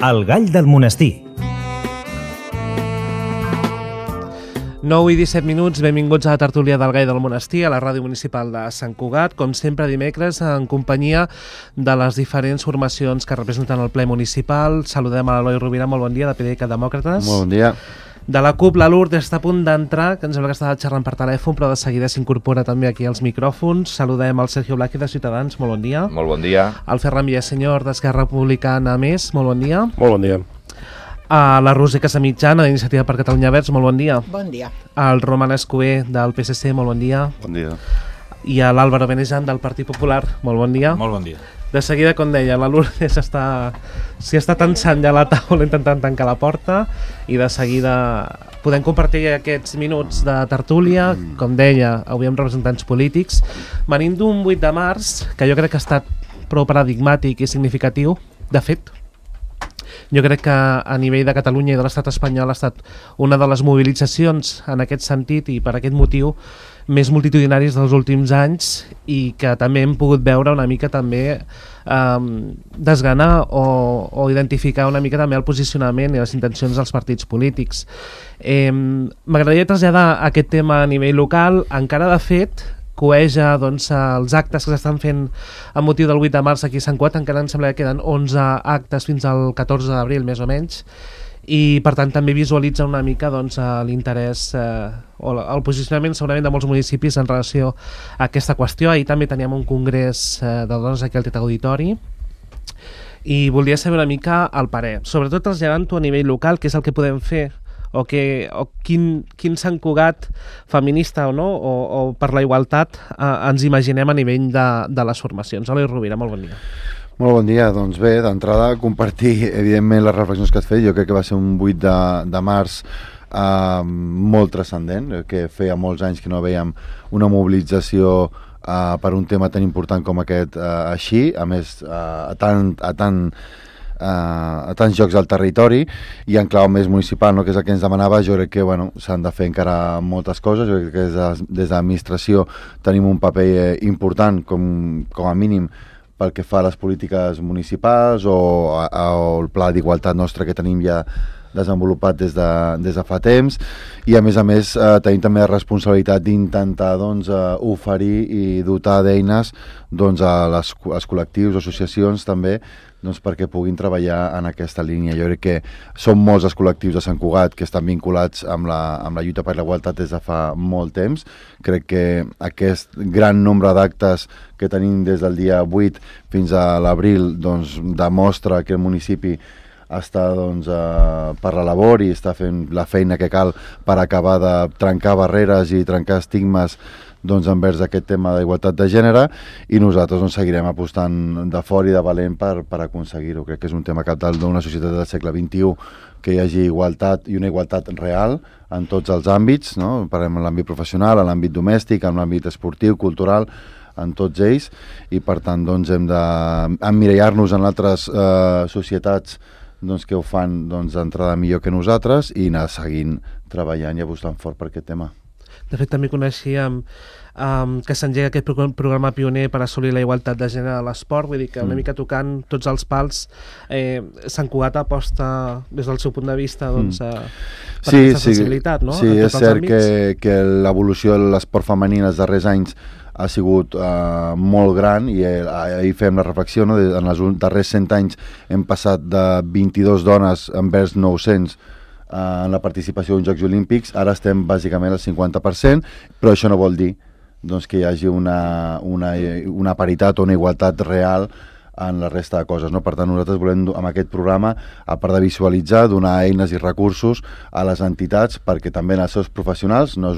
El gall del monestir. 9 i 17 minuts, benvinguts a la tertúlia del Gall del Monestir, a la ràdio municipal de Sant Cugat, com sempre dimecres en companyia de les diferents formacions que representen el ple municipal. Saludem a l'Eloi Rovira, molt bon dia, de PDeCAT Demòcrates. Molt bon dia. De la CUP, la Lourdes està a punt d'entrar, que ens sembla que estava xerrant per telèfon, però de seguida s'incorpora també aquí als micròfons. Saludem al Sergio Blázquez de Ciutadans, molt bon dia. Molt bon dia. El Ferran Villasenyor d'Esquerra Republicana Més, molt bon dia. Molt bon dia. A la Roser Casamitjana d'Iniciativa per Catalunya Verds, molt bon dia. Bon dia. Al Roman Escober del PSC, molt bon dia. Bon dia. I a l'Àlvaro Benejan del Partit Popular, molt bon dia. Molt bon dia. De seguida, com deia, la Lourdes s'hi està tensant ja a la taula intentant tancar la porta i de seguida podem compartir aquests minuts de tertúlia, com deia, avui amb representants polítics, venint d'un 8 de març, que jo crec que ha estat prou paradigmàtic i significatiu. De fet, jo crec que a nivell de Catalunya i de l'estat espanyol ha estat una de les mobilitzacions en aquest sentit i per aquest motiu més multitudinaris dels últims anys i que també hem pogut veure una mica també desgranar o identificar una mica també el posicionament i les intencions dels partits polítics. M'agradaria traslladar aquest tema a nivell local. Encara de fet coeja doncs, els actes que s'estan fent amb motiu del 8 de març aquí a Sant Cugat. Encara em sembla que queden 11 actes fins al 14 d'abril més o menys, i per tant també visualitza una mica doncs, l'interès o el posicionament segurament de molts municipis en relació a aquesta qüestió. Ahir també teníem un congrés de dones aquí al Teatre Auditori i voldria saber una mica el parer, sobretot traslladant-ho a nivell local, què és el que podem fer o quin Sant Cugat feminista o no, o per la igualtat ens imaginem a nivell de les formacions. Eloi Rovira, molt bon dia. Molt bon dia. Doncs bé, d'entrada compartir evidentment les reflexions que has fet. Jo crec que va ser un 8 de març molt transcendent, que feia molts anys que no veiem una mobilització per un tema tan important com aquest així, a més a tants jocs al territori i en clau més municipal, no? Que és el que ens demanava. Jo crec que s'han de fer encara moltes coses. Jo crec que des de l'administració tenim un paper important com a mínim pel que fa a les polítiques municipals o el pla d'igualtat nostre que tenim ja desenvolupat des de fa temps, i a més tenim també la responsabilitat d'intentar oferir i dotar d'eines als col·lectius o associacions també perquè puguin treballar en aquesta línia. Jo crec que són molts els col·lectius de Sant Cugat que estan vinculats amb la lluita per la igualtat des de fa molt temps. Crec que aquest gran nombre d'actes que tenim des del dia 8 fins a l'abril demostra que el municipi està per la labor i està fent la feina que cal per acabar de trencar barreres i trencar estigmes envers aquest tema d'igualtat de gènere, i nosaltres seguirem apostant de fort i de valent per aconseguir-ho. Crec que és un tema cabdal d'una societat del segle XXI que hi hagi igualtat i una igualtat real en tots els àmbits, no? Parlem en l'àmbit professional, en l'àmbit domèstic, en l'àmbit esportiu, cultural, en tots ells, i per tant hem d'emmirallar-nos en altres societats que ho fan d'entrada millor que nosaltres i anar seguint treballant i apostant fort per aquest tema. De fet, també coneixíem que s'engega aquest programa pioner per assolir la igualtat de gènere a l'esport, vull dir que una mica tocant tots els pals, Sant Cugat aposta des del seu punt de vista per aquesta sensibilitat, no? Sí, és cert que l'evolució de l'esport femení en els darrers anys ha sigut molt gran, i ahir fem la reflexió, no? En els darrers 100 anys hem passat de 22 dones envers 900 en la participació en Jocs Olímpics. Ara estem bàsicament al 50%, però això no vol dir que hi hagi una paritat o una igualtat real en la resta de coses, no? Per tant, nosaltres volem, amb aquest programa, a part de visualitzar, donar eines i recursos a les entitats perquè també els seus professionals, no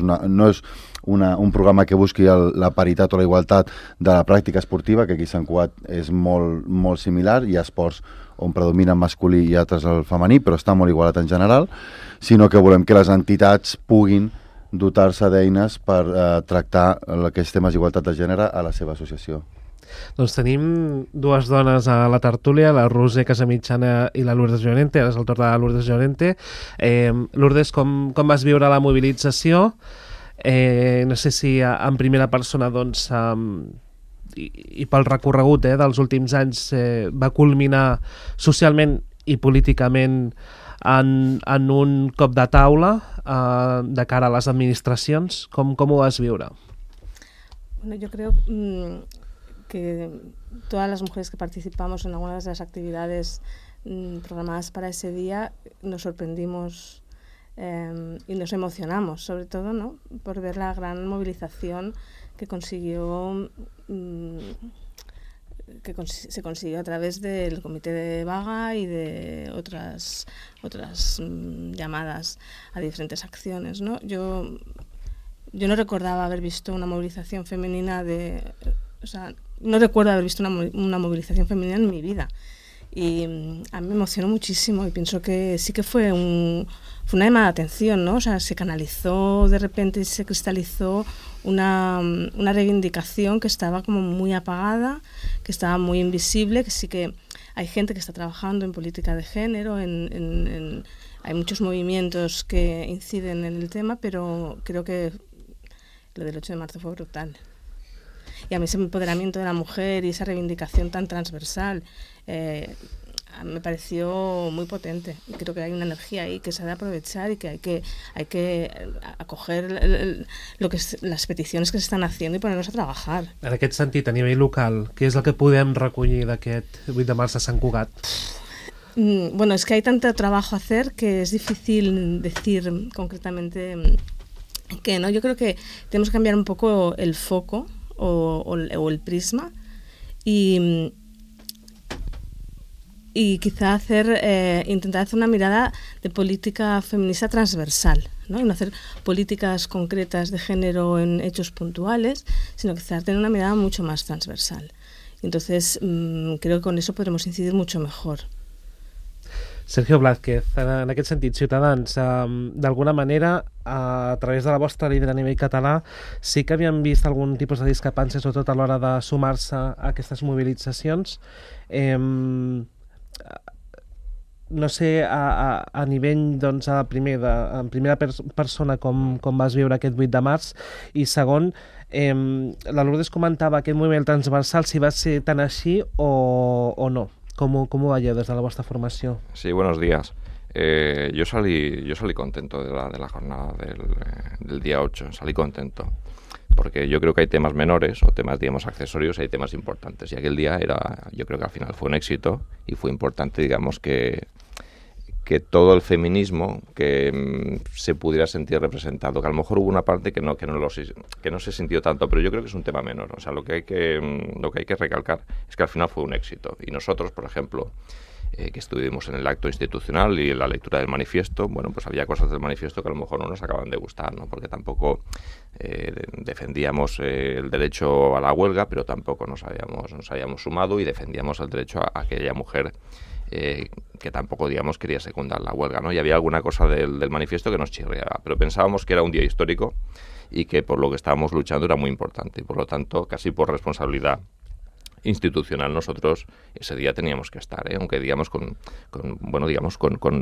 és un programa que busqui la paritat o la igualtat de la pràctica esportiva, que aquí a Sant Cugat és molt, molt similar. Hi ha esports on predomina el masculí i altres el femení, però està molt igualat en general, sinó que volem que les entitats puguin dotar-se d'eines per tractar aquests temes d'igualtat de gènere a la seva associació. Doncs tenim dues dones a la tertúlia, la Roser Casamitjana i la Lourdes Llorente. Ara és el torn de la Lourdes Llorente. Lourdes, com vas viure la mobilització? No sé si en primera persona i pel recorregut dels últims anys va culminar socialment i políticament en un cop de taula de cara a las administracions? ¿Cómo vas a viure? Bueno, yo creo que todas las mujeres que participamos en algunas de las actividades programadas para ese día nos sorprendimos y nos emocionamos, sobre todo, ¿no?, por ver la gran movilización que se consiguió a través del Comité de Vaga y de otras llamadas a diferentes acciones, ¿no? Yo no recordaba haber visto una movilización femenina no recuerdo haber visto una movilización femenina en mi vida. Y a mí me emocionó muchísimo y pienso que sí que fue una llamada de atención, ¿no? O sea, se canalizó de repente y se cristalizó una reivindicación que estaba como muy apagada, que estaba muy invisible, que sí que hay gente que está trabajando en política de género, hay muchos movimientos que inciden en el tema, pero creo que lo del 8 de marzo fue brutal. Y a mí ese empoderamiento de la mujer y esa reivindicación tan transversal me pareció muy potente. Y creo que hay una energía ahí que se ha de aprovechar y que hay que acoger las peticiones que se están haciendo y ponernos a trabajar. En aquest sentit, a nivell local, què és el que podem recollir d'aquest 8 de març de Sant Cugat? Bueno, es que hay tanto trabajo a hacer que es difícil decir concretamente qué, ¿no? Yo creo que tenemos que cambiar un poco el foco o el prisma y quizá intentar hacer una mirada de política feminista transversal, ¿no? Y no hacer políticas concretas de género en hechos puntuales, sino quizá tener una mirada mucho más transversal. Entonces, creo que con eso podremos incidir mucho mejor. Sergio Blázquez, en aquest sentit, Ciutadans, d'alguna manera, a través de la vostra líder a nivell català, sí que havien vist algun tipus de discrepància, sobretot a l'hora de sumar-se a aquestes mobilitzacions. No sé, a nivell, doncs, en primera persona, com vas viure aquest 8 de març, i segon, la Lourdes comentava aquest moviment transversal, si va ser tan així o no. ¿Cómo vaya desde la vuestra formación? Sí, buenos días. Yo salí contento de la jornada del día 8, salí contento, porque yo creo que hay temas menores o temas, digamos, accesorios, y hay temas importantes, y aquel día yo creo que al final fue un éxito y fue importante, digamos, que todo el feminismo que se pudiera sentir representado, que a lo mejor hubo una parte que no se sintió tanto, pero yo creo que es un tema menor. O sea, lo que hay que recalcar es que al final fue un éxito. Y nosotros, por ejemplo, que estuvimos en el acto institucional y en la lectura del manifiesto, bueno, pues había cosas del manifiesto que a lo mejor no nos acaban de gustar, ¿no? Porque tampoco defendíamos el derecho a la huelga, pero tampoco nos habíamos sumado y defendíamos el derecho a aquella mujer que tampoco, digamos, quería secundar la huelga, ¿no? Y había alguna cosa del manifiesto que nos chirriaba, pero pensábamos que era un día histórico y que por lo que estábamos luchando era muy importante, y por lo tanto, casi por responsabilidad institucional, nosotros ese día teníamos que estar, aunque digamos con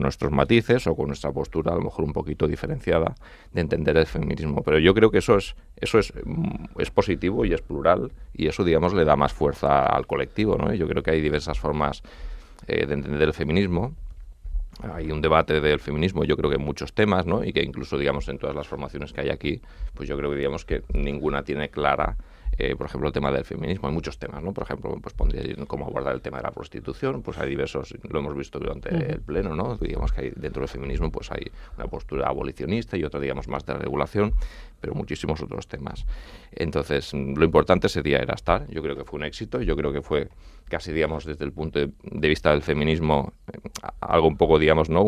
nuestros matices o con nuestra postura a lo mejor un poquito diferenciada de entender el feminismo, pero yo creo que eso es positivo y es plural, y eso, digamos, le da más fuerza al colectivo, ¿no? Yo creo que hay diversas formas de entender el feminismo. Hay un debate del feminismo, yo creo que en muchos temas, ¿no? Y que incluso, digamos, en todas las formaciones que hay aquí, pues yo creo que, digamos, que ninguna tiene clara, por ejemplo, el tema del feminismo. Hay muchos temas, ¿no? Por ejemplo, pues pondría cómo abordar el tema de la prostitución, pues hay diversos, lo hemos visto durante el pleno, ¿no? Digamos que hay, dentro del feminismo, pues hay una postura abolicionista y otra, digamos, más de regulación, pero muchísimos otros temas. Entonces, lo importante ese día era estar. Yo creo que fue un éxito, yo creo que fue casi, digamos, desde el punto de vista del feminismo, algo un poco, digamos, ¿no?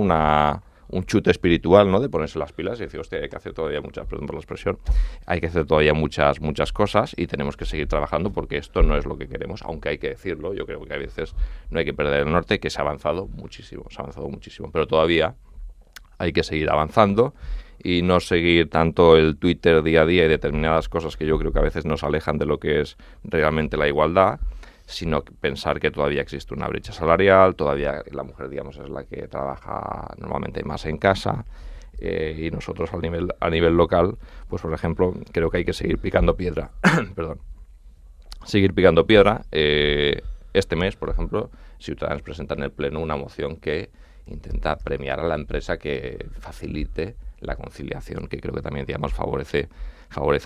Un chute espiritual, ¿no? De ponerse las pilas y decir, hostia, hay que hacer todavía perdón por la expresión, hay que hacer todavía muchas cosas y tenemos que seguir trabajando, porque esto no es lo que queremos, aunque hay que decirlo. Yo creo que a veces no hay que perder el norte, que se ha avanzado muchísimo, pero todavía hay que seguir avanzando y no seguir tanto el Twitter día a día y determinadas cosas que yo creo que a veces nos alejan de lo que es realmente la igualdad, sino pensar que todavía existe una brecha salarial, todavía la mujer, digamos, es la que trabaja normalmente más en casa, y nosotros a nivel local, pues por ejemplo, creo que hay que seguir picando piedra, perdón, seguir picando piedra. Este mes, por ejemplo, Ciudadanos presenta en el Pleno una moción que intenta premiar a la empresa que facilite la conciliación, que creo que también, digamos, favorece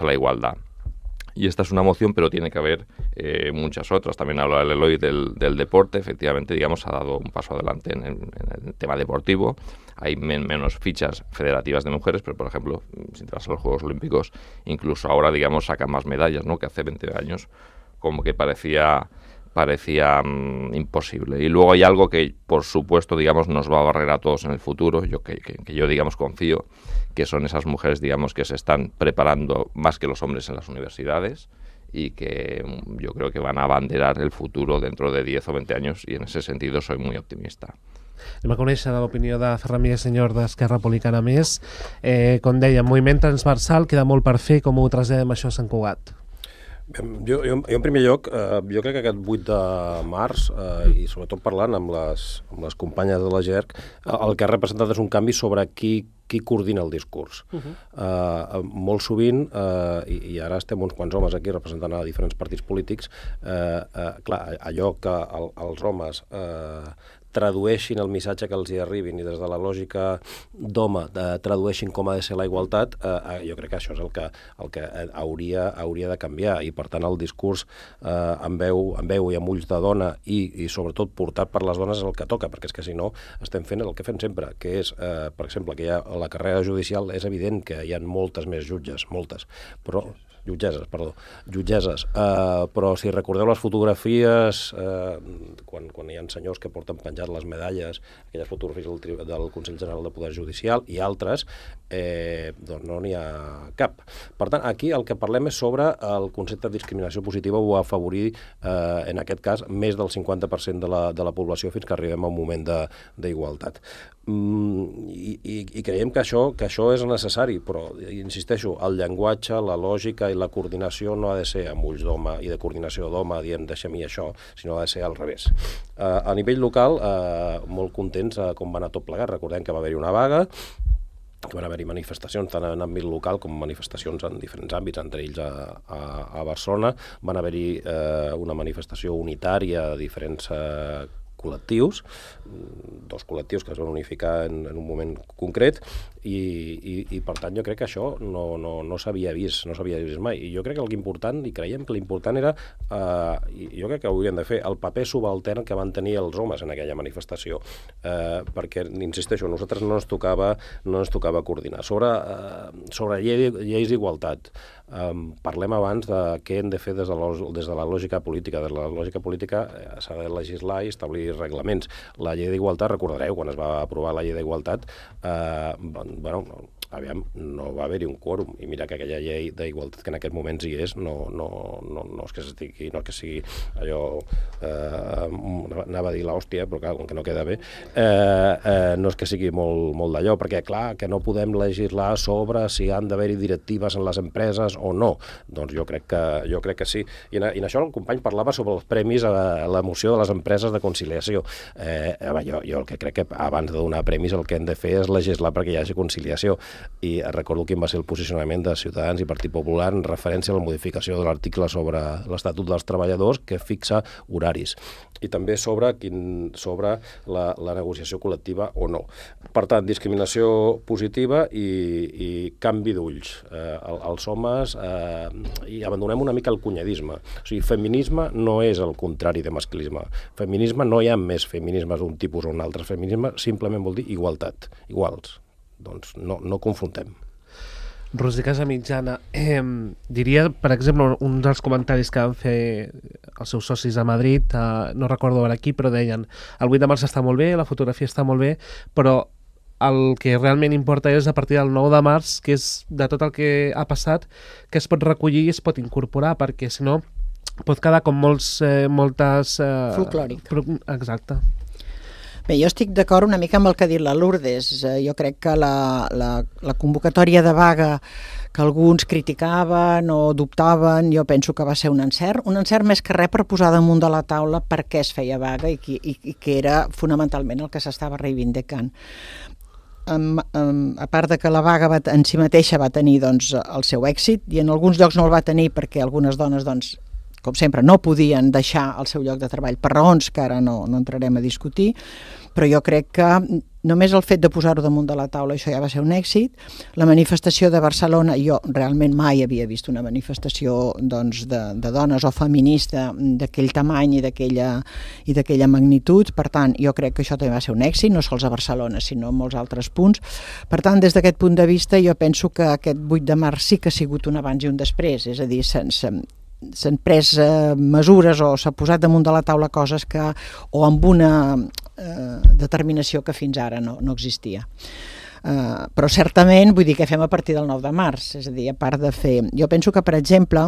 la igualdad. Y esta es una moción, pero tiene que haber muchas otras. También habla el Eloy del deporte. Efectivamente, digamos, ha dado un paso adelante en el tema deportivo. Hay menos fichas federativas de mujeres, pero, por ejemplo, si te vas a los Juegos Olímpicos, incluso ahora, digamos, sacan más medallas, ¿no?, que hace 20 años, como que parecía imposible. Y luego hay algo que, por supuesto, digamos, nos va a barrer a todos en el futuro, que yo, digamos, confío, que son esas mujeres, digamos, que se están preparando más que los hombres en las universidades y que yo creo que van a abanderar el futuro dentro de 10 o 20 años, y en ese sentido soy muy optimista. Anem a conèixer l'opinió de Ferran Miguel, senyor d'Esquerra Republicana Més. Com dèiem, moviment transversal, queda molt per fer. Com ho traslladem això a Sant Cugat? Jo en primer lloc, jo crec que aquest 8 de març, i sobretot parlant amb les companyes de la GERC, el que ha representat és un canvi sobre qui coordina el discurs. Molt sovint, i ara estem uns quants homes aquí representant a diferents partits polítics, clar, allò que els homes tradueixin el missatge que els hi arribin i des de la lògica d'home tradueixin com ha de ser la igualtat, jo crec que això és el que hauria de canviar, i per tant el discurs amb veu i amb ulls de dona i sobretot portat per les dones és el que toca, perquè és que si no estem fent el que fem sempre, que és, per exemple, que hi ha la carrera judicial, és evident que hi ha moltes més jutgesses, però si recordeu les fotografies quan hi ha senyors que porten penjat les medalles, aquelles fotografies del Consell General de Poder Judicial i altres, doncs no n'hi ha cap. Per tant, aquí el que parlem és sobre el concepte de discriminació positiva o afavorir, en aquest cas, més del 50% de la població fins que arribem a un moment d'igualtat. I creiem que això és necessari, però insisteixo, el llenguatge, la lògica i la coordinació no ha de ser amb ulls d'home i de coordinació d'home dient deixa'm-hi això, sinó ha de ser al revés. A nivell local, molt contents com va anar tot plegat. Recordem que va haver-hi una vaga, que van haver-hi manifestacions tant en àmbit local com manifestacions en diferents àmbits, entre ells a Barcelona. Van haver-hi una manifestació unitària de diferents col·lectius, dos col·lectius que es van unificar en un moment concret, i per tant jo crec que això no s'havia vist mai. I jo crec que l'important, i creiem que l'important era, i jo crec que ho hauríem de fer, el paper subaltern que van tenir els homes en aquella manifestació, perquè, insisteixo, a nosaltres no ens tocava coordinar. Sobre lleis d'igualtat, parlem abans de què hem de fer des de la lògica política. Des de la lògica política s'ha de legislar i establir reglaments. La llei d'igualtat, recordareu, quan es va aprovar la llei d'igualtat, no va haver-hi un quòrum, i mira que aquella llei d'igualtat que en aquests moments hi és no és que sigui allò, anava a dir l'hòstia, però clar, com que no queda bé, no és que sigui molt d'allò, perquè clar, que no podem legislar sobre si han d'haver-hi directives en les empreses o no. Doncs jo crec que sí. I en això el company parlava sobre els premis a la moció de les empreses de conciliació. Jo el que crec que abans de donar premis el que hem de fer és legislar perquè hi hagi conciliació. I recordo quin va ser el posicionament de Ciutadans i Partit Popular en referència a la modificació de l'article sobre l'Estatut dels Treballadors que fixa horaris, i també sobre la negociació col·lectiva o no. Per tant, discriminació positiva i canvi d'ulls. Els homes, i abandonem una mica el cunyadisme. O sigui, feminisme no és el contrari de masclisme. Feminisme, no hi ha més feminismes d'un tipus o un altre. Feminisme simplement vol dir igualtat, iguals. Doncs no confrontem. Roser Casamitjana, diria, per exemple, un dels comentaris que van fer els seus socis a Madrid, no recordo ara aquí, però deien el 8 de març està molt bé, la fotografia està molt bé, però el que realment importa és a partir del 9 de març, que és de tot el que ha passat, que es pot recollir i es pot incorporar, perquè si no pot quedar com moltes... folclòric. Exacte. Bé, jo estic d'acord una mica amb el que ha dit la Lourdes. Jo crec que la convocatòria de vaga que alguns criticaven o dubtaven, jo penso que va ser un encert més que res per posar damunt de la taula per què es feia vaga i que era fonamentalment el que s'estava reivindicant. A part de que la vaga en si mateixa va tenir el seu èxit, i en alguns llocs no el va tenir perquè algunes dones com sempre, no podien deixar el seu lloc de treball per raons que ara no entrarem a discutir, però jo crec que només el fet de posar-ho damunt de la taula, això ja va ser un èxit. La manifestació de Barcelona, jo realment mai havia vist una manifestació doncs, de dones o feminista d'aquell tamany i d'aquella magnitud, per tant, jo crec que això també va ser un èxit, no sols a Barcelona, sinó en molts altres punts. Per tant, des d'aquest punt de vista, jo penso que aquest 8 de març sí que ha sigut un abans i un després, és a dir, s'han pres mesures o s'ha posat damunt de la taula coses que, o amb una determinació que fins ara no existia. Però certament, vull dir, què fem a partir del 9 de març? És a dir, a part de fer... Jo penso que, per exemple,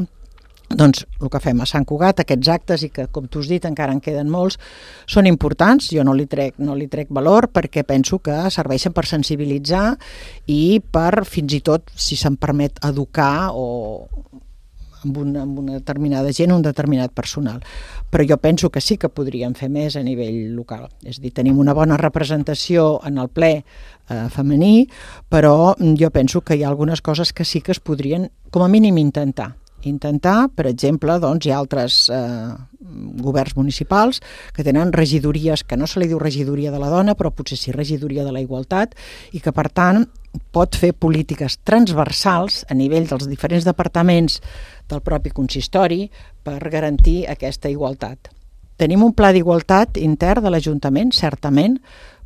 doncs el que fem a Sant Cugat, aquests actes, i que, com tu has dit, encara en queden molts, són importants, jo no li trec valor, perquè penso que serveixen per sensibilitzar i per, fins i tot, si se'n permet, educar o amb una determinada gent, un determinat personal. Però jo penso que sí que podríem fer més a nivell local. És a dir, tenim una bona representació en el ple femení, però jo penso que hi ha algunes coses que sí que es podrien, com a mínim, intentar, per exemple, doncs, hi ha altres governs municipals que tenen regidories, que no se li diu regidoria de la dona, però potser sí regidoria de la igualtat, i que, per tant, pot fer polítiques transversals a nivell dels diferents departaments del propi consistori per garantir aquesta igualtat. Tenim un pla d'igualtat intern de l'Ajuntament, certament,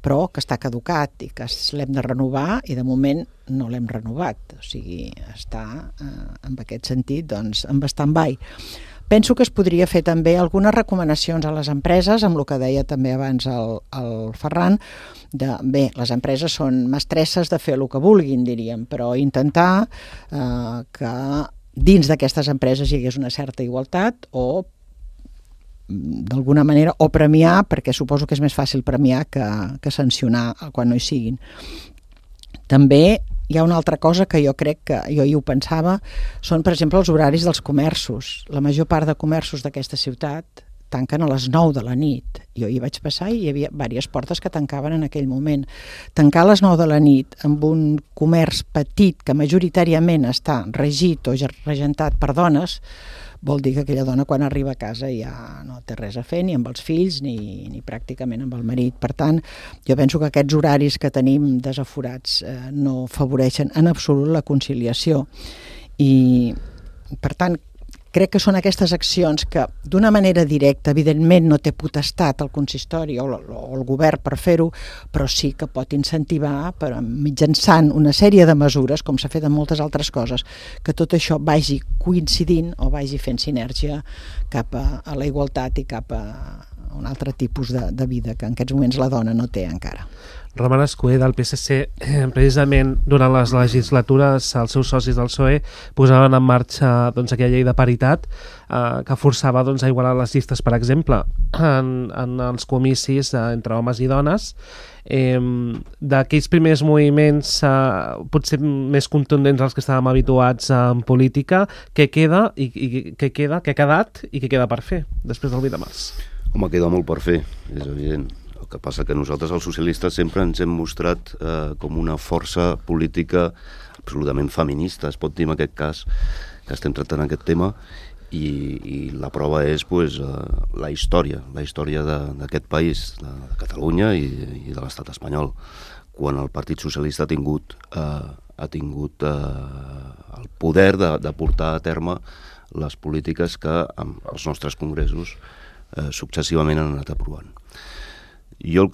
però que està caducat i que l'hem de renovar i de moment no l'hem renovat. O sigui, està en aquest sentit doncs, en stand-by. Penso que es podria fer també algunes recomanacions a les empreses, amb el que deia també abans el Ferran, bé, les empreses són mestresses de fer el que vulguin, diríem, però intentar que dins d'aquestes empreses hi hagués una certa igualtat o d'alguna manera, o premiar, perquè suposo que és més fàcil premiar que sancionar quan no hi siguin. També hi ha una altra cosa que jo crec que, jo hi ho pensava, són, per exemple, els horaris dels comerços. La major part de comerços d'aquesta ciutat tanquen a les 9 de la nit. Jo hi vaig passar i hi havia diverses portes que tancaven en aquell moment. Tancar a les 9 de la nit amb un comerç petit que majoritàriament està regit o regentat per dones, vol dir que aquella dona quan arriba a casa ja no té res a fer ni amb els fills ni pràcticament amb el marit. Per tant, jo penso que aquests horaris que tenim desaforats no afavoreixen en absolut la conciliació i, per tant, crec que són aquestes accions que d'una manera directa, evidentment no té potestat el consistori o el govern per fer-ho, però sí que pot incentivar mitjançant una sèrie de mesures, com s'ha fet en moltes altres coses, que tot això vagi coincidint o vagi fent sinergia cap a la igualtat i cap a un altre tipus de vida que en aquests moments la dona no té encara. Roman Escuder, del PSC, precisament durant les legislatures els seus socis del PSOE posaven en marxa doncs, aquella llei de paritat que forçava doncs, a igualar les llistes, per exemple, en els comicis entre homes i dones. D'aquells primers moviments potser més contundents als que estàvem habituats en política, què queda, què ha quedat i què queda per fer després del 8 de març? Home, queda molt per fer, és evident. El que passa que nosaltres, els socialistes, sempre ens hem mostrat com una força política absolutament feminista, es pot dir en aquest cas, que estem tractant aquest tema, i la prova és la història d'aquest país, de Catalunya i de l'estat espanyol, quan el Partit Socialista ha tingut el poder de portar a terme les polítiques que els nostres congressos successivament han anat aprovant. Jo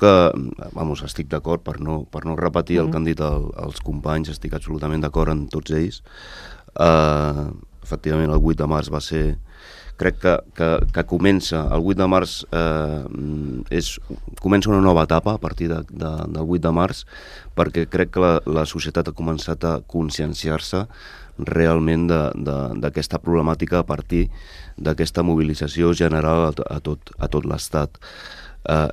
estic d'acord, per no repetir el que han dit els companys, estic absolutament d'acord amb tots ells. Efectivament, el 8 de març va ser... Crec que comença, el 8 de març comença una nova etapa a partir del 8 de març, perquè crec que la societat ha començat a conscienciar-se realment d'aquesta problemàtica a partir d'aquesta mobilització general a tot l'Estat.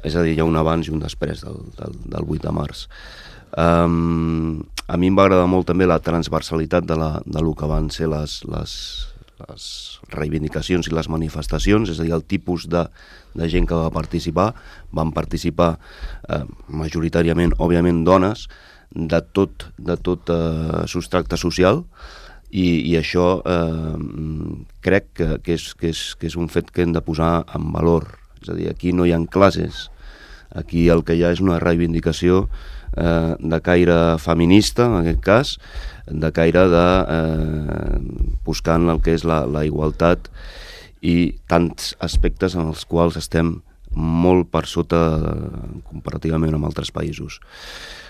És a dir, hi ha un abans i un després del 8 de març. A mi em va agradar molt també la transversalitat del que van ser les reivindicacions i les manifestacions, és a dir, el tipus de gent que va participar. Van participar majoritàriament, òbviament, dones de tot substracte social, I això crec que és un fet que hem de posar en valor. És a dir, aquí no hi ha classes, aquí el que hi ha és una reivindicació de caire feminista, en aquest cas, de caire de buscant el que és la igualtat i tants aspectes en els quals estem molt per sota comparativament amb altres països.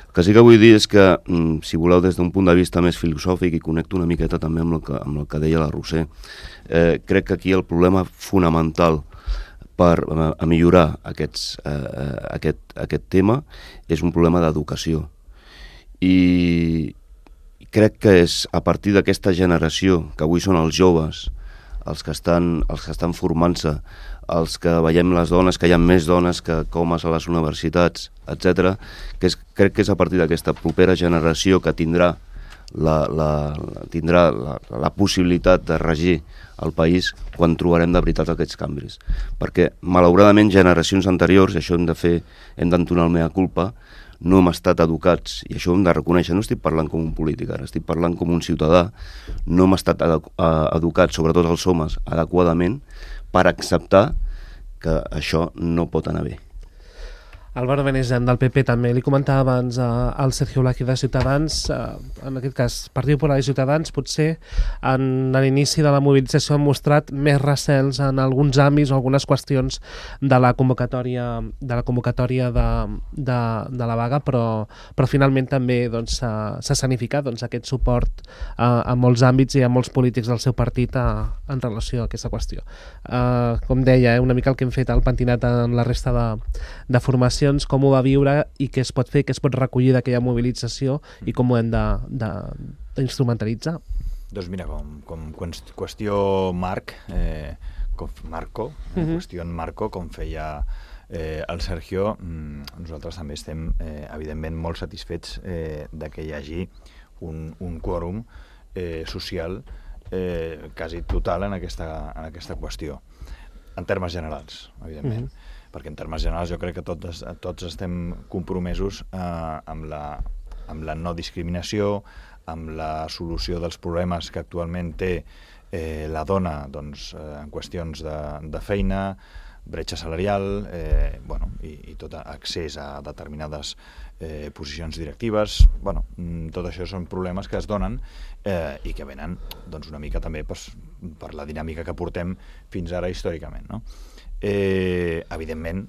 El que sí que vull dir és que, si voleu, des d'un punt de vista més filosòfic, i connecto una miqueta també amb el que deia la Roser, crec que aquí el problema fonamental per millorar aquest tema és un problema d'educació. I crec que és a partir d'aquesta generació, que avui són els joves, els que estan formant-se, els que veiem les dones, que hi ha més dones que homes a les universitats, etc. Crec que és a partir d'aquesta propera generació que tindrà la possibilitat de regir el país quan trobarem de veritat aquests canvis. Perquè, malauradament, generacions anteriors, i això hem d'entonar el mea culpa, no hem estat educats, i això ho hem de reconèixer, no estic parlant com un polític ara, estic parlant com un ciutadà, no hem estat educats, sobretot els homes, adequadament, per acceptar que això no pot anar bé. Álvaro Benejan, del PP, també. Li comentava abans al Sergio Blázquez de Ciutadans, en aquest cas, Partit Popular i Ciutadans, potser en l'inici de la mobilització han mostrat més recels en alguns àmbits o algunes qüestions de la convocatòria de la vaga, però finalment també s'ha escenificat aquest suport a molts àmbits i a molts polítics del seu partit en relació a aquesta qüestió. Com deia, una mica el que hem fet al pentinat en la resta de formacions, com ho va viure i què es pot fer, què es pot recollir d'aquella mobilització i com ho hem d'instrumentalitzar. Doncs mira, com qüestió qüestió en marco, com feia el Sergio, nosaltres també estem evidentment molt satisfets que hi hagi un quòrum social quasi total en aquesta qüestió, en termes generals, evidentment. Perquè en termes generals jo crec que tots estem compromesos amb la no discriminació, amb la solució dels problemes que actualment té la dona en qüestions de feina, bretxa salarial, i tot accés a determinades posicions directives. Tot això són problemes que es donen i que venen una mica també per la dinàmica que portem fins ara històricament, no? Evidentment,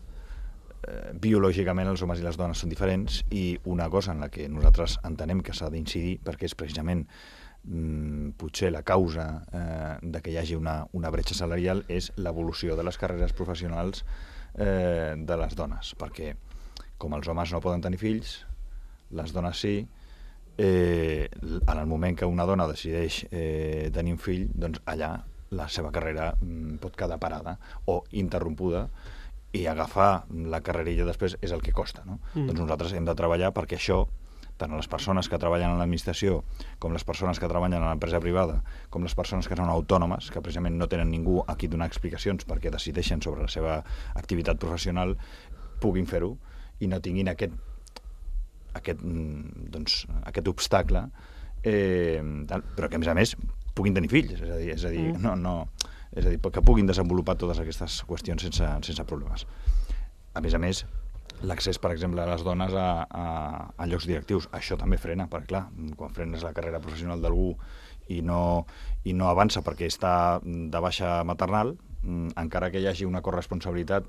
biològicament els homes i les dones són diferents i una cosa en la que nosaltres entenem que s'ha d'incidir, perquè és precisament potser la causa que hi hagi una bretxa salarial, és l'evolució de les carreres professionals de les dones, perquè com els homes no poden tenir fills, les dones sí, en el moment que una dona decideix tenir un fill, doncs allà la seva carrera pot quedar parada o interrompuda, i agafar la carrerilla després és el que costa, no? Doncs nosaltres hem de treballar perquè això, tant les persones que treballen en l'administració, com les persones que treballen a l'empresa privada, com les persones que són autònomes, que precisament no tenen ningú a qui donar explicacions perquè decideixen sobre la seva activitat professional, puguin fer-ho i no tinguin aquest obstacle, però que a més puguin tenir fills, és a dir, que puguin desenvolupar totes aquestes qüestions sense problemes. A més, l'accés, per exemple, a les dones a llocs directius, això també frena, perquè clar, quan frenes la carrera professional d'algú i no avança perquè està de baixa maternal, encara que hi hagi una corresponsabilitat,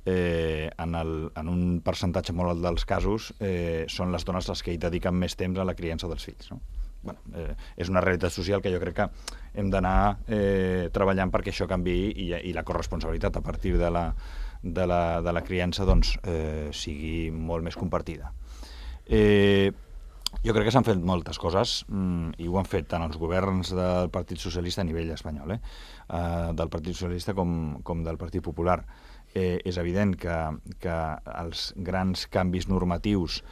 en un percentatge molt alt dels casos són les dones les que hi dediquen més temps a la criança dels fills, no? És una realitat social que jo crec que hem d'anar treballant perquè això canviï i la corresponsabilitat a partir de la criança sigui molt més compartida. Jo crec que s'han fet moltes coses i ho han fet tant els governs del Partit Socialista a nivell espanyol, del Partit Socialista com del Partit Popular. És evident que els grans canvis normatius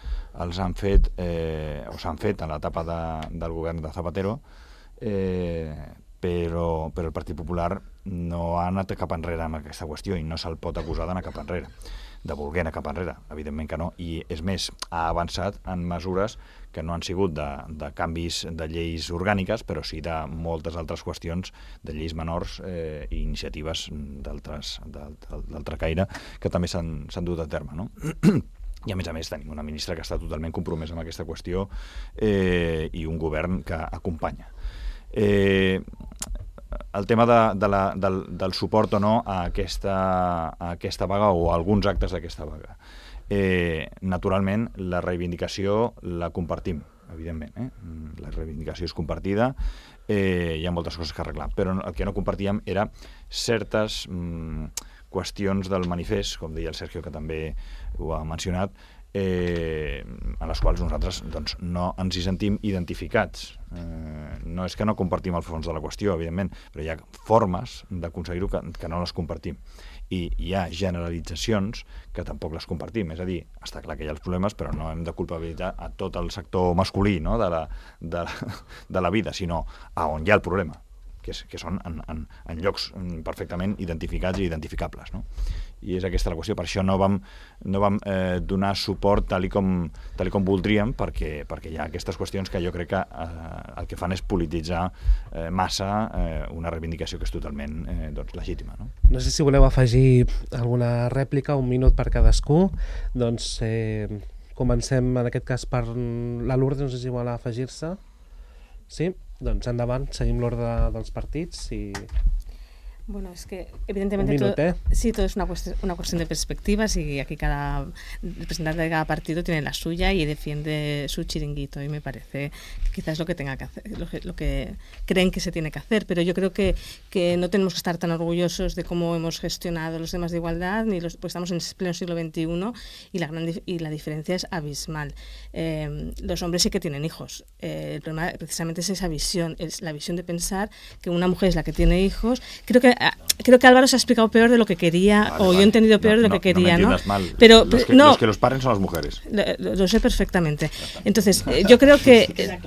els han fet o s'han fet en l'etapa del govern de Zapatero, però el Partit Popular no ha anat cap enrere amb aquesta qüestió i no se'l pot acusar d'anar cap enrere. voler anar cap enrere, evidentment que no, i és més, ha avançat en mesures que no han sigut de canvis de lleis orgàniques, però sí de moltes altres qüestions de lleis menors i iniciatives d'altre caire que també s'han dut a terme, no? I a més tenim una ministra que està totalment compromesa amb aquesta qüestió i un govern que acompanya. El tema del suport o no a aquesta vaga o a alguns actes d'aquesta vaga. Naturalment, la reivindicació la compartim, evidentment. La reivindicació és compartida, hi ha moltes coses que arreglar, però el que no compartíem era certes qüestions del manifest, com deia el Sergio, que també ho ha mencionat, en les quals nosaltres no ens hi sentim identificats. No és que no compartim el fons de la qüestió, evidentment, però hi ha formes d'aconseguir-ho que no les compartim. I hi ha generalitzacions que tampoc les compartim. És a dir, està clar que hi ha els problemes, però no hem de culpabilitzar a tot el sector masculí, no? de la vida, sinó a on hi ha el problema, que són en llocs perfectament identificats i identificables, no? I és aquesta la qüestió. Per això no vam donar suport tal com voldríem, perquè hi ha aquestes qüestions que jo crec que el que fan és polititzar massa una reivindicació que és totalment legítima, no? No sé si voleu afegir alguna rèplica, un minut per cadascú. Doncs comencem en aquest cas per la Lourdes, no sé si vol afegir-se. Sí? Doncs endavant, seguim l'ordre dels partits i... Bueno, es que evidentemente todo es una cuestión de perspectivas y aquí cada representante de cada partido tiene la suya y defiende su chiringuito y me parece que quizás es lo que tenga que hacer, lo que creen que se tiene que hacer, pero yo creo que no tenemos que estar tan orgullosos de cómo hemos gestionado los temas de igualdad, pues estamos en pleno siglo XXI y la diferencia es abismal. Los hombres sí que tienen hijos, el problema precisamente es esa visión, es la visión de pensar que una mujer es la que tiene hijos. Creo que Álvaro se ha explicado peor de lo que quería, yo he entendido peor de lo que quería, ¿no? Mal. Pero los que los paren son las mujeres. Lo sé perfectamente. Entonces, yo creo que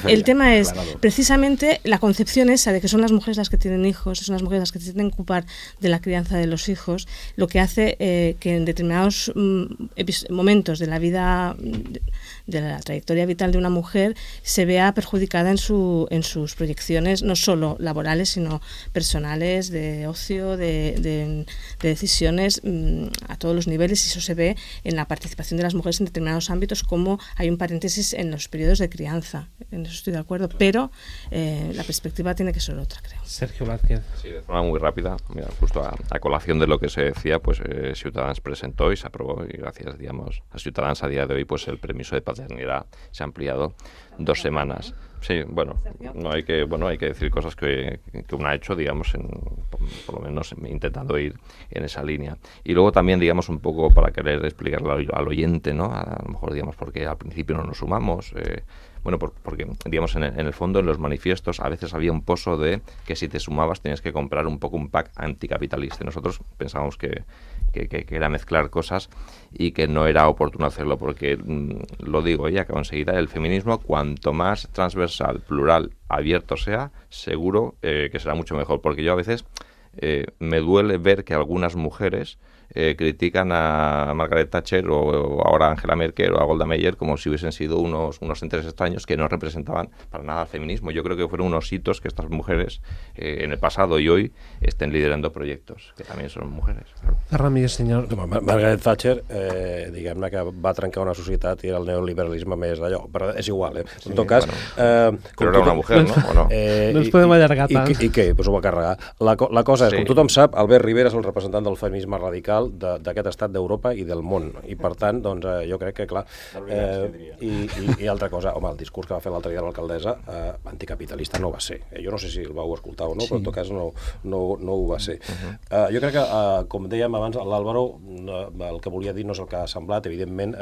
el tema es precisamente la concepción esa de que son las mujeres las que tienen hijos, son las mujeres las que se tienen que ocupar de la crianza de los hijos, lo que hace que en determinados momentos de la vida, de la trayectoria vital de una mujer, se vea perjudicada en sus proyecciones, no solo laborales, sino personales, de ocio, de decisiones a todos los niveles, y eso se ve en la participación de las mujeres en determinados ámbitos, como hay un paréntesis en los periodos de crianza. En eso estoy de acuerdo, pero la perspectiva tiene que ser otra, creo. Sergio Vázquez. Sí, de forma muy rápida, mira, justo a colación de lo que se decía, pues Ciutadans presentó y se aprobó, y gracias, digamos, a Ciutadans a día de hoy, pues el permiso de paternidad se ha ampliado 2 semanas. Sí, bueno, hay que decir cosas que uno ha hecho, digamos, por lo menos intentando ir en esa línea. Y luego también, digamos, un poco para querer explicarle al oyente, ¿no? A lo mejor, digamos, porque al principio no nos sumamos, porque, digamos, en el fondo, en los manifiestos, a veces había un pozo de que si te sumabas tenías que comprar un poco un pack anticapitalista. Y nosotros pensábamos que era mezclar cosas y que no era oportuno hacerlo, porque, lo digo ya que enseguida, el feminismo, cuanto más transversal, plural, abierto sea, seguro que será mucho mejor, porque yo a veces me duele ver que algunas mujeres critican a Margaret Thatcher o ahora a Angela Merkel o a Golda Meir como si hubiesen sido unos entes extraños que no representaban para nada al feminismo. Yo creo que fueron unos hitos que estas mujeres en el pasado y hoy estén liderando proyectos, que también son mujeres. Claro. Ramírez, senyor. Margaret Thatcher, diguem-ne que va trencar una societat i el neoliberalisme més d'allò, però és igual, Sí, en tot cas... però era una mujer, no? ¿O no? No ens podem allargar tant. I què? Pues ho va carregar. La cosa és, com tothom sap, Albert Rivera és el representant del feminisme radical d'aquest estat d'Europa i del món, i per tant, doncs, jo crec que, clar, i altra cosa, home, el discurs que va fer l'altre dia l'alcaldessa, anticapitalista no va ser. Jo no sé si el vau escoltar o no, però en tot cas no ho va ser. Jo crec que, com dèiem abans, l'Àlvaro, el que volia dir no és el que ha semblat, evidentment,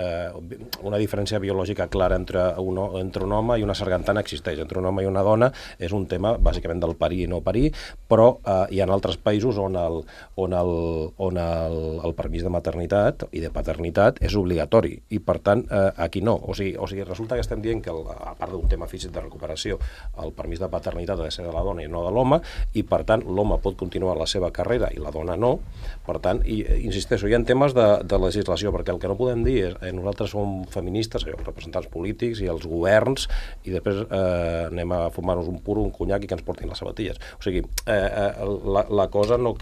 una diferència biològica clara entre un home i una sargantana existeix, entre un home i una dona és un tema, bàsicament, del parir i no parir, però hi ha altres països on el el permís de maternitat i de paternitat és obligatori, i per tant aquí no. O sigui, resulta que estem dient que, a part d'un tema físic de recuperació, el permís de paternitat ha de ser de la dona i no de l'home, i per tant l'home pot continuar la seva carrera i la dona no. Per tant, insisteixo, hi ha temes de legislació, perquè el que no podem dir és nosaltres som feministes, els representants polítics i els governs, i després anem a fumar-nos un puro, un conyac i que ens portin les sabatilles. O sigui, la cosa no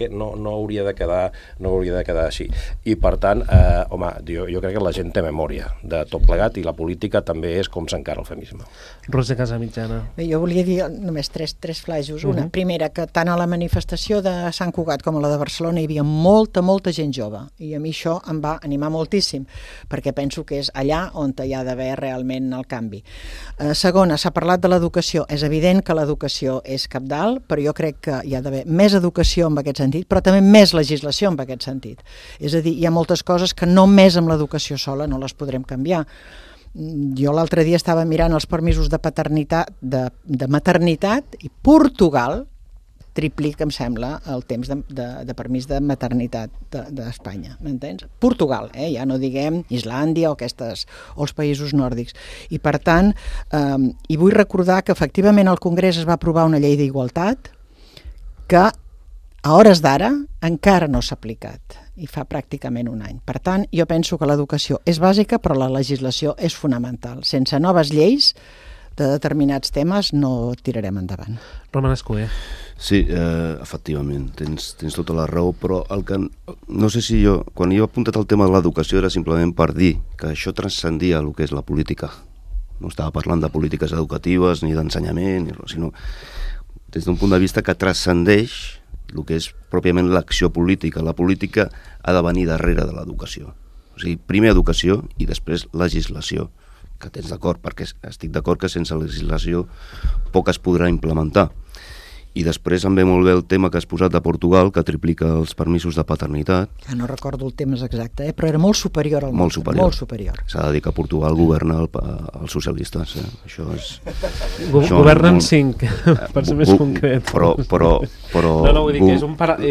hauria de quedar així. I per tant, home, jo crec que la gent té memòria de tot plegat, i la política també és com s'encara el feminisme. Roser Casamitjana. Jo volia dir només tres flaixos. Una, primera, que tant a la manifestació de Sant Cugat com a la de Barcelona hi havia molta gent jove, i a mi això em va animar moltíssim, perquè penso que és allà on hi ha d'haver realment el canvi. Segona, s'ha parlat de l'educació. És evident que l'educació és cabdal, però jo crec que hi ha d'haver més educació en aquest sentit, però també més legislació en aquest sentit. És a dir, hi ha moltes coses que només amb l'educació sola no les podrem canviar. Jo l'altre dia estava mirant els permisos de paternitat, de maternitat, i Portugal triplica, em sembla, el temps de permís de maternitat d'Espanya, m'entens? Portugal, ja no diguem Islàndia o els països nòrdics. I per tant, i vull recordar que efectivament al Congrés es va aprovar una llei d'igualtat que a hores d'ara encara no s'ha aplicat, i fa pràcticament un any. Per tant, jo penso que l'educació és bàsica, però la legislació és fonamental. Sense noves lleis de determinats temes no tirarem endavant. Roman Escuder. Sí, efectivament, tens tota la raó, però el que no sé si quan jo he apuntat el tema de l'educació era simplement per dir que això transcendia el que és la política. No estava parlant de polítiques educatives ni d'ensenyament, sinó des d'un punt de vista que transcendeix el que és pròpiament l'acció política. La política ha de venir darrere de l'educació. O sigui, primer educació i després legislació, que tens d'acord, perquè estic d'acord que sense legislació poc es podrà implementar. I després em ve molt bé el tema que has posat de Portugal, que triplica els permisos de paternitat. No recordo el temps exacte, però era molt superior al nostre. Molt superior. S'ha de dir que Portugal governa els socialistes. Això és... Governen 5, per ser més concret. Però... No, vull dir que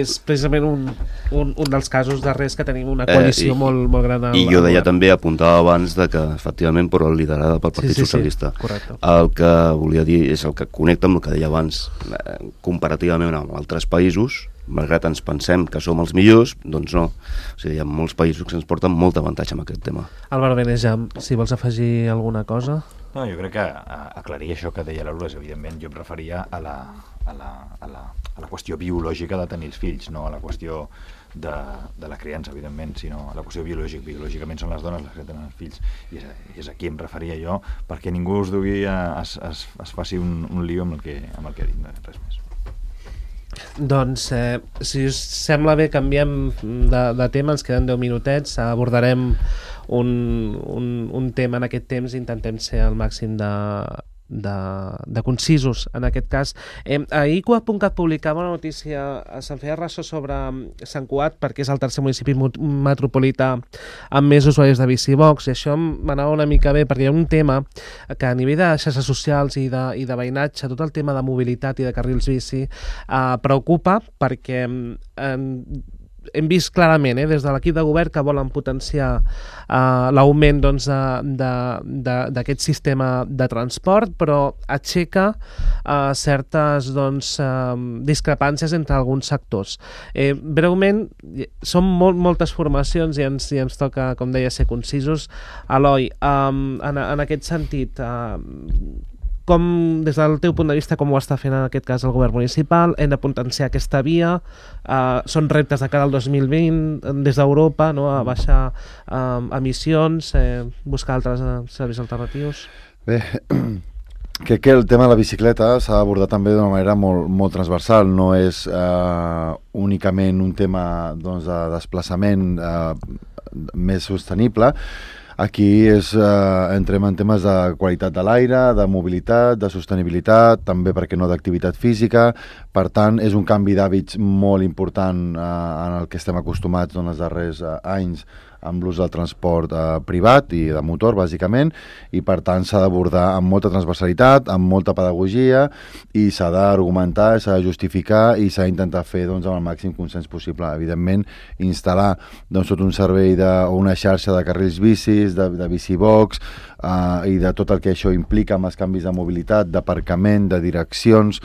és precisament un dels casos darrers que tenim una coalició molt gran. I jo deia també, apuntava abans, que efectivament, però liderada pel Partit Socialista. Correcte. El que volia dir és el que connecta amb el que deia abans, comparativament amb altres països, malgrat ens pensem que som els millors, doncs no. O sigui, hi ha molts països que ens porten molt avantatge amb aquest tema. Álvaro Benejam, si vols afegir alguna cosa? No, jo crec que aclarir això que deia la Lourdes, evidentment, jo em referia a la qüestió biològica de tenir els fills, no a la qüestió de la criança, evidentment, sinó a la qüestió biològica. Biològicament són les dones les que tenen els fills, i és aquí em referia jo, perquè ningú us es faci un lío amb el que ha dit, res més. Doncs, si us sembla bé, canviem de tema, ens queden 10 minutets, abordarem un tema en aquest temps, intentem ser al màxim de concisos en aquest cas. Ahir Cugat.cat publicava una notícia, se'n feia ressò sobre Sant Cugat, perquè és el tercer municipi metropolità amb més usuaris de Bicibox, i això m'anava una mica bé, perquè hi ha un tema que a nivell de xarxes socials i de veïnatge, tot el tema de mobilitat i de carrils bici preocupa, perquè hem vist clarament des de l'equip de govern que volen potenciar l'augment d'aquest sistema de transport, però aixeca certes discrepàncies entre alguns sectors. Breument, són moltes formacions i ens toca, com deia, ser concisos. Eloi, en aquest sentit, com, des del teu punt de vista, com ho està fent en aquest cas el govern municipal? Hem de potenciar aquesta via, són reptes de cara al 2020 des d'Europa, no? A baixar emissions, buscar altres serveis alternatius. Bé, crec que el tema de la bicicleta s'ha d'abordar també d'una manera molt transversal, no és únicament un tema de desplaçament més sostenible. Aquí entrem en temes de qualitat de l'aire, de mobilitat, de sostenibilitat, també, per què no, d'activitat física, Per tant, és un canvi d'hàbits molt important en el que estem acostumats en els darrers anys amb l'ús del transport privat i de motor, bàsicament, i per tant s'ha d'abordar amb molta transversalitat, amb molta pedagogia, i s'ha d'argumentar, s'ha de justificar i s'ha d'intentar fer amb el màxim consens possible. Evidentment, instal·lar tot un servei o una xarxa de carrils bicis, de bicibox, i de tot el que això implica amb els canvis de mobilitat, d'aparcament, de direccions,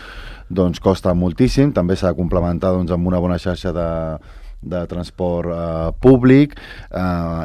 doncs costa moltíssim. També s'ha de complementar amb una bona xarxa de transport públic,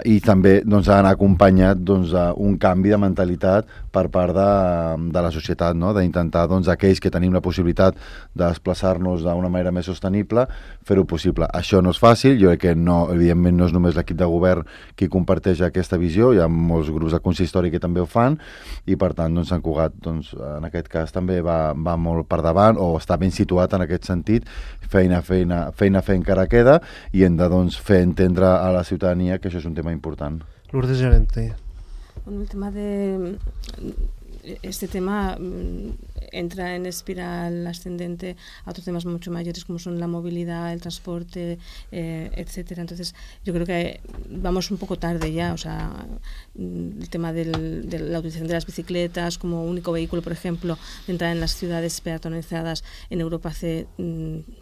i també ha d'anar acompanyat d'un canvi de mentalitat per part de la societat, d'intentar aquells que tenim la possibilitat de desplaçar-nos d'una manera més sostenible, fer-ho possible. Això no és fàcil, jo crec que evidentment no és només l'equip de govern qui comparteix aquesta visió, hi ha molts grups de consistori que també ho fan, i per tant Sant Cugat en aquest cas també va molt per davant, o està ben situat en aquest sentit. Feina encara queda, i hem de fer entendre a la ciutadania que això és un tema important. Lourdes Llorente. Bueno, el tema este tema entra en espiral ascendente a otros temas mucho mayores como son la movilidad, el transporte, etcétera. Entonces, yo creo que vamos un poco tarde ya. O sea, el tema de la utilización de las bicicletas como único vehículo, por ejemplo, de entrar en las ciudades peatonalizadas en Europa hace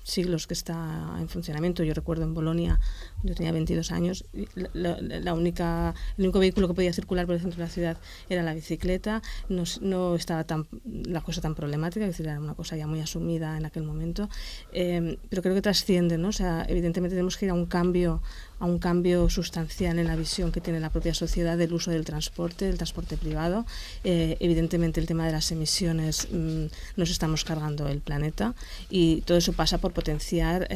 siglos que está en funcionamiento. Yo recuerdo en Bolonia, yo tenía 22 años, el único vehículo que podía circular por el centro de la ciudad era la bicicleta. No estaba la cosa tan problemática, es decir, era una cosa ya muy asumida en aquel momento, pero creo que trasciende, ¿no? O sea, evidentemente tenemos que ir a un cambio sustancial en la visión que tiene la propia sociedad del uso del transporte privado. Evidentemente el tema de las emisiones, nos estamos cargando el planeta, y todo eso pasa por potenciar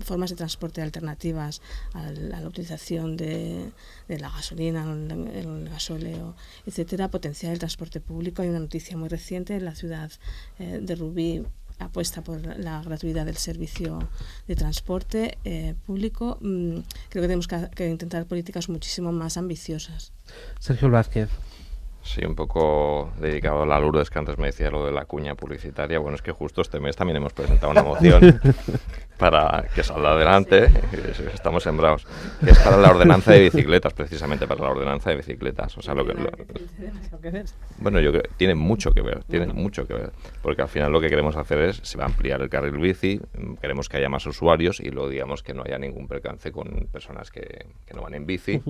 formas de transporte alternativas a la utilización de la gasolina, el gasóleo, etcétera, potenciar el transporte público. Hay una noticia muy reciente en la ciudad de Rubí, apuesta por la gratuidad del servicio de transporte público. Creo que tenemos que intentar políticas muchísimo más ambiciosas. Sergio Blázquez. Sí, un poco dedicado a la Lourdes, que antes me decía lo de la cuña publicitaria. Bueno, es que justo este mes también hemos presentado una moción para que salga adelante, estamos sembrados, que es para la ordenanza de bicicletas, precisamente para la ordenanza de bicicletas. O sea, bueno, yo creo que tiene mucho que ver, porque al final lo que queremos hacer se va a ampliar el carril bici, queremos que haya más usuarios y luego digamos que no haya ningún percance con personas que no van en bici.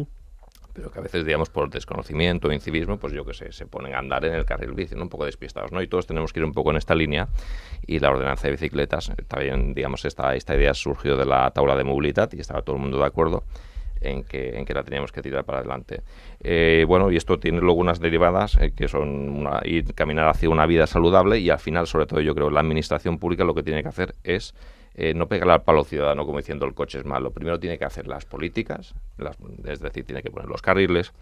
Pero que a veces, digamos, por desconocimiento o incivismo, pues yo que sé, se ponen a andar en el carril bici, ¿no? Un poco despistados, ¿no? Y todos tenemos que ir un poco en esta línea, y la ordenanza de bicicletas, también, digamos, esta idea surgió de la tabla de movilidad y estaba todo el mundo de acuerdo en que la teníamos que tirar para adelante. Bueno, y esto tiene luego unas derivadas que son ir caminar hacia una vida saludable, y al final, sobre todo, yo creo, la administración pública lo que tiene que hacer es no pegarle al palo ciudadano como diciendo el coche es malo. Primero tiene que hacer las políticas, es decir, tiene que poner los carriles,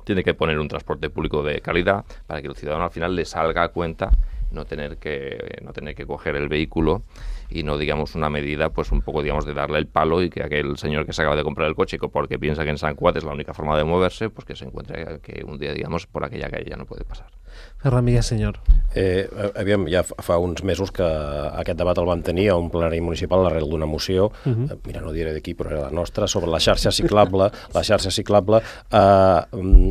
tiene que poner un transporte público de calidad para que el ciudadano al final le salga a cuenta no tener que coger el vehículo, y no, digamos, una medida pues un poco, digamos, de darle el palo, y que aquel señor que se acaba de comprar el coche porque piensa que en Sant Cugat es la única forma de moverse, pues que se encuentre que un día, digamos, por aquella calle ya no puede pasar. Ferran Villasenyor. Aviam, ja fa uns mesos que aquest debat el vam tenir a un plenari municipal arrel d'una moció, mira, no diré d'aquí, però era la nostra, sobre la xarxa ciclable,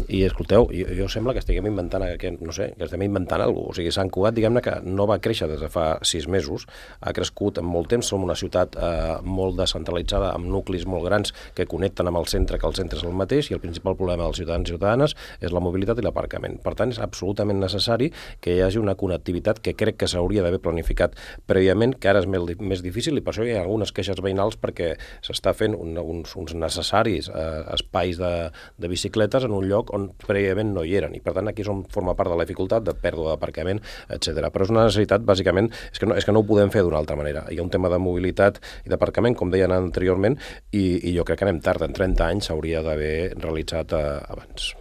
i escolteu, jo sembla que estiguem inventant, no sé, que estem inventant alguna cosa. O sigui, Sant Cugat, diguem-ne que no va créixer des de fa 6 mesos, ha crescut en molt temps, som una ciutat molt descentralitzada, amb nuclis molt grans que connecten amb el centre, que el centre és el mateix, i el principal problema dels ciutadans i ciutadanes és la mobilitat i l'aparcament. Per tant, és absolutament necessari que hi hagi una connectivitat que crec que s'hauria d'haver planificat prèviament, que ara és més difícil, i per això hi ha algunes queixes veïnals, perquè s'està fent uns necessaris espais de bicicletes en un lloc on prèviament no hi eren, i per tant aquí forma part de la dificultat de pèrdua d'aparcament, etc. Però és una necessitat, bàsicament, és que no ho podem fer d'una altra manera. Hi ha un tema de mobilitat i d'aparcament, com deien anteriorment, i jo crec que anem tard, en 30 anys s'hauria d'haver realitzat abans.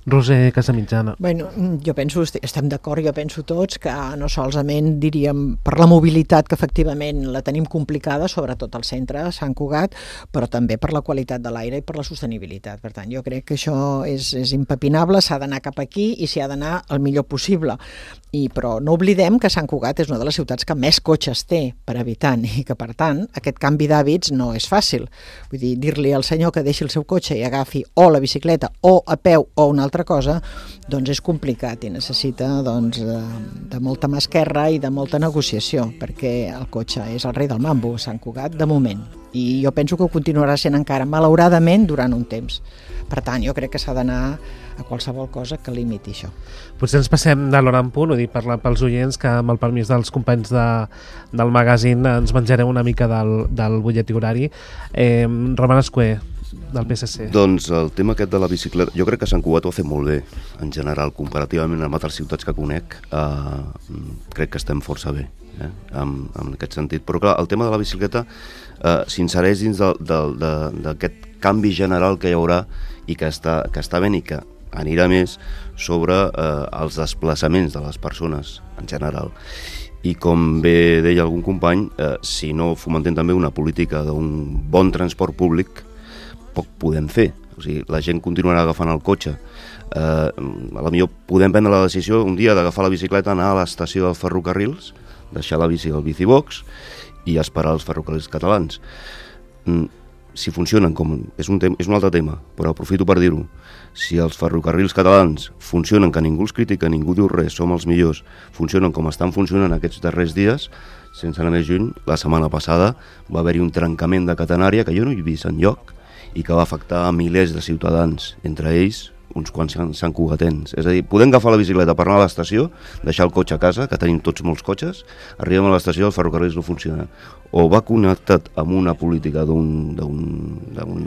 Roser Casamitjana. Bueno, jo penso, estem d'acord, jo penso tots que no solament diríem per la mobilitat, que efectivament la tenim complicada, sobretot al centre, a Sant Cugat, però també per la qualitat de l'aire i per la sostenibilitat. Per tant, jo crec que això és impepinable, s'ha d'anar cap aquí i s'hi ha d'anar el millor possible. Però no oblidem que Sant Cugat és una de les ciutats que més cotxes té per habitant i que, per tant, aquest canvi d'hàbits no és fàcil. Vull dir, dir-li al senyor que deixi el seu cotxe i agafi o la bicicleta o a peu o una altra cosa, doncs és complicat i necessita de molta mà esquerra i de molta negociació, perquè el cotxe és el rei del mambo a Sant Cugat de moment. I jo penso que ho continuarà sent encara, malauradament, durant un temps. Per tant, jo crec que s'ha d'anar a qualsevol cosa que limiti això. Potser ens passem de l'hora en punt, ho dic pels oients, que amb el permís dels companys del magazín ens menjarem una mica del butlletí horari. Roman Escuer, del PSC. Doncs el tema aquest de la bicicleta, jo crec que Sant Cugat ho ha fet molt bé, en general, comparativament amb altres ciutats que conec, crec que estem força bé, en aquest sentit. Però clar, el tema de la bicicleta s'insereix dins d'aquest canvi general que hi haurà i que està ben i que anirà més sobre els desplaçaments de les persones en general. I com bé deia algun company, si no fomentem també una política d'un bon transport públic, poc podem fer. O sigui, la gent continuarà agafant el cotxe. A la millor podem prendre la decisió un dia d'agafar la bicicleta, anar a l'estació dels ferrocarrils, deixar la bici al bicibox i esperar els ferrocarrils catalans. Si funcionen, és un altre tema, però aprofito per dir-ho, si els ferrocarrils catalans funcionen, que ningú els critica, ningú diu res, som els millors, funcionen com estan funcionant aquests darrers dies, sense anar més lluny, la setmana passada va haver-hi un trencament de catenària que jo no he vist enlloc i que va afectar a milers de ciutadans, entre ells uns quants santcugatens. És a dir, podem agafar la bicicleta per anar a l'estació, deixar el cotxe a casa, que tenim tots molts cotxes, arribem a l'estació, el ferrocarril no funciona. O va connectat amb una política d'un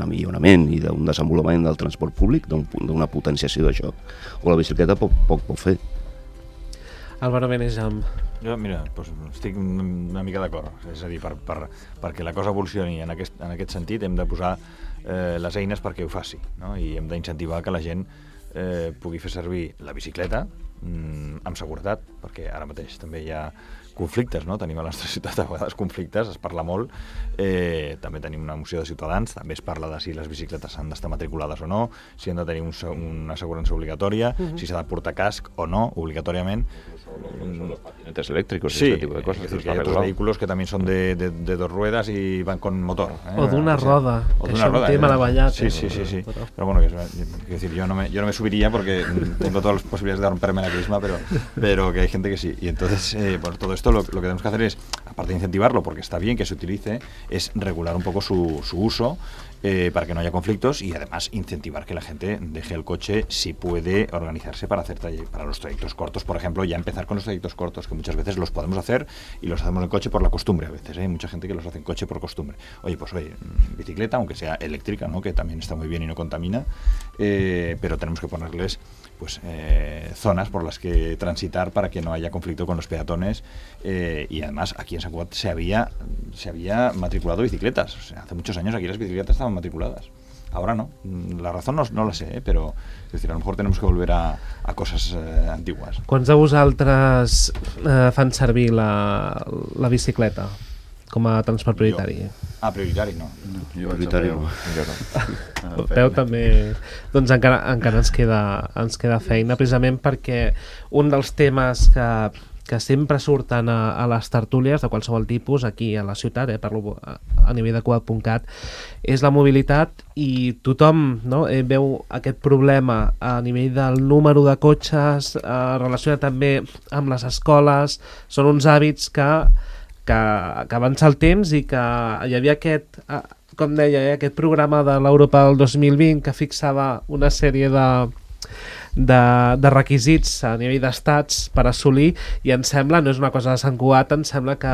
millorament i d'un desenvolupament del transport públic, d'una potenciació d'això, o la bicicleta poc pot fer. Álvaro Benejam. Jo, mira, estic una mica d'acord. És a dir, perquè la cosa evolucioni en aquest sentit hem de posar les eines perquè ho faci, no? I hem d'incentivar que la gent pugui fer servir la bicicleta amb seguretat, perquè ara mateix també hi ha conflictes, no? Tenim a la nostra ciutat a vegades conflictes, es parla molt, també tenim una moció de Ciutadans, també es parla de si les bicicletes han d'estar matriculades o no, si han de tenir una assegurança obligatòria, si s'ha de portar casc o no, obligatòriament. Los patinetes eléctricos sí, y ese tipo de cosas. Es decir, que hay otros vehículos que también son de dos ruedas y van con motor. O d'una roda, o de una roda. Sí. Pero bueno, quiero decir, yo no me subiría porque tengo todas las posibilidades de romperme la crisma, pero que hay gente que sí. Y entonces, por todo esto lo que tenemos que hacer es, aparte de incentivarlo, porque está bien que se utilice, es regular un poco su uso para que no haya conflictos y además incentivar que la gente deje el coche si puede organizarse para los trayectos cortos, por ejemplo, ya empezar con los trayectos cortos, que muchas veces los podemos hacer y los hacemos en coche por la costumbre a veces, hay mucha gente que los hace en coche por costumbre. Oye, bicicleta, aunque sea eléctrica, ¿no? Que también está muy bien y no contamina, pero tenemos que ponerles zonas por las que transitar para que no haya conflicto con los peatones y además aquí en Sant Cugat se había matriculado bicicletas, o sea, hace muchos años aquí las bicicletas estaban matriculadas, ahora no, la razón no la sé, pero es decir, a lo mejor tenemos que volver a cosas antiguas. Quants de vosaltres fan servir la bicicleta com a transport prioritari? Prioritari no. Prioritari no. El peu també, doncs encara ens queda feina, precisament perquè un dels temes que sempre surten a les tertúlies de qualsevol tipus aquí a la ciutat, parlo a nivell de Cugat.cat, és la mobilitat i tothom veu aquest problema a nivell del número de cotxes, relacionat també amb les escoles, són uns hàbits que avança el temps i que hi havia aquest, com deia, aquest programa de l'Europa del 2020 que fixava una sèrie de requisits a nivell d'estats per assolir i em sembla, no és una cosa de Sant Cugat, em sembla que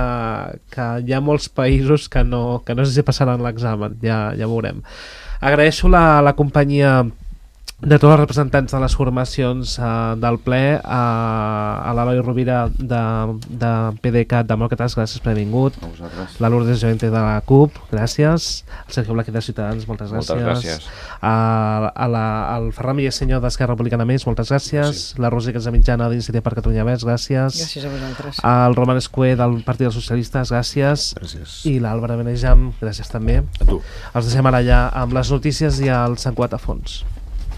hi ha molts països que no sé si passaran l'examen, ja veurem. Agraeixo la companyia de tots els representants de les formacions del ple, a l'Eloi Rovira de PDeCAT Demòcrates, gràcies per haver vingut. A vosaltres. La Lourdes Joente de la CUP, gràcies. El Sergio Blaquer de Ciutadans, moltes gràcies. Moltes gràcies. Al Ferran Villasenyor d'Esquerra Republicana Més, moltes gràcies. La Rosa Casamitjana d'Iniciativa per Catalunya Verds, gràcies. Gràcies a vosaltres. El Roman Escué del Partit dels Socialistes, gràcies. Gràcies. I l'Àlvaro Benejam, gràcies també. A tu. Els deixem ara allà amb les notícies i el Sant Cugat a fons.